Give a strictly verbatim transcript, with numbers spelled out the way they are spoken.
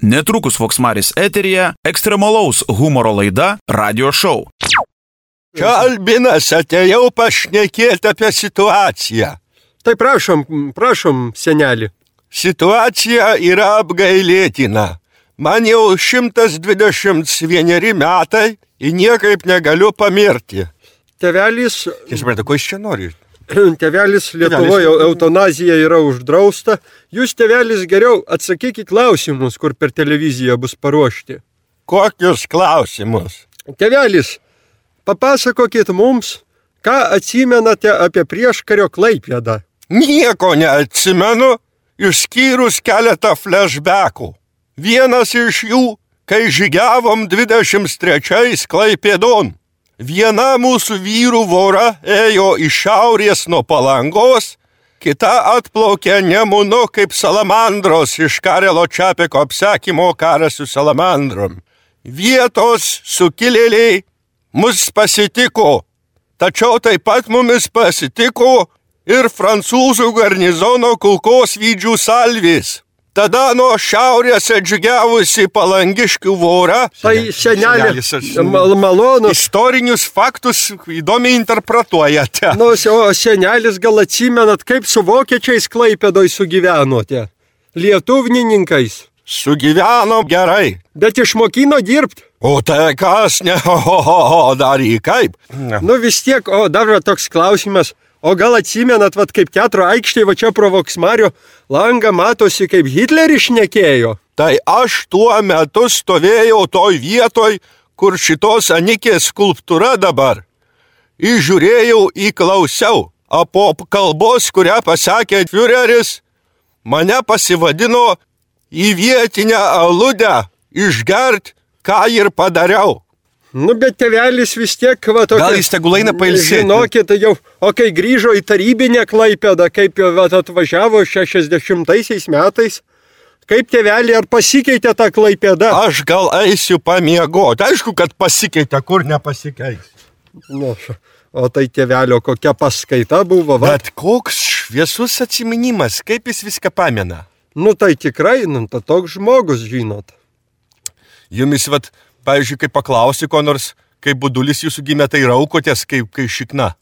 Netrukus Voksmaris eteryje ekstremalaus humoro laida Radio Show. Čia Albinas, atėjau pašnekėti apie situaciją. Tai prašom, prašom, seneli. Situacija yra apgailėtina. Man jau šimtas dvidešimt vieneri metai ir niekaip negaliu pamirti. Tėvelis... Jis supranta, ko jis čia nori? Tėvelis Lietuvoje eutanazija yra uždrausta. Jūs, tėvelis, geriau atsakyk į klausimus, kur per televiziją bus paruošti. Kokius klausimus? Tėvelis, papasakokit mums, ką atsimenate apie prieškario Klaipėdą. Nieko neatsimenu, išskyrus keletą flashbackų. Vienas iš jų, kai žygiavom dvidešimt trečiais Klaipėdon. Viena mūsų vyrų vora ėjo iš šiaurės nuo Palangos, kita atplaukė Nemunu kaip salamandros iš Karelo Čapeko apsakymo Karas su salamandrom. Vietos sukilėliai mus pasitiko, tačiau taip pat mumis pasitiko ir prancūzų garnizono kulkosvaidžių salvės. Tada nuo šiaurės atžygiavusi palangiškių vorą. Tai senelė, mal, malonus. Istorinius faktus įdomiai interpretuojate. Nu, o senelis, gal atsimenat, kaip su vokiečiais Klaipėdoj sugyvenote? Lietuvnininkais. Sugyvenom gerai. Bet išmokino dirbt. O tai kas ne, o, o, o dary kaip? Nu vis tiek, o dar toks klausimas. O gal atsimenat, vat, kaip teatro aikštėje, va čia pro Voksmario langą matosi, kaip Hitleris šnekėjo? Tai aš tuo metu stovėjau toj vietoj, kur šitos Anikės skulptūra dabar. Įžiūrėjau, įklausiau, o po kalbos, kurią pasakė Führeris, mane pasivadino į vietinę aludę išgert, ką ir padariau. Nu, bet tėvelis vis tiek, va, tokia... Gal jis tegul eina pailsėti? Žinokit, jau, o kai grįžo į tarybinę Klaipėdą, kaip jau va, atvažiavo šešiasdešimtaisiais metais, kaip tėvelį, ar pasikeitė tą Klaipėdą? Aš gal eisiu pamiegoti. Aišku, kad pasikeitė, kur nepasikeis. Nu, o tai tėvelio kokia paskaita buvo, va? Bet koks šviesus atsiminimas, kaip jis viską pamena? Nu, tai tikrai, nu, ta toks žmogus, žinot. Jumis, vat... Pavyzdžiui, kai paklausi ko nors, kai budulis jūsų gimė, tai raukotės kaip kai šikna.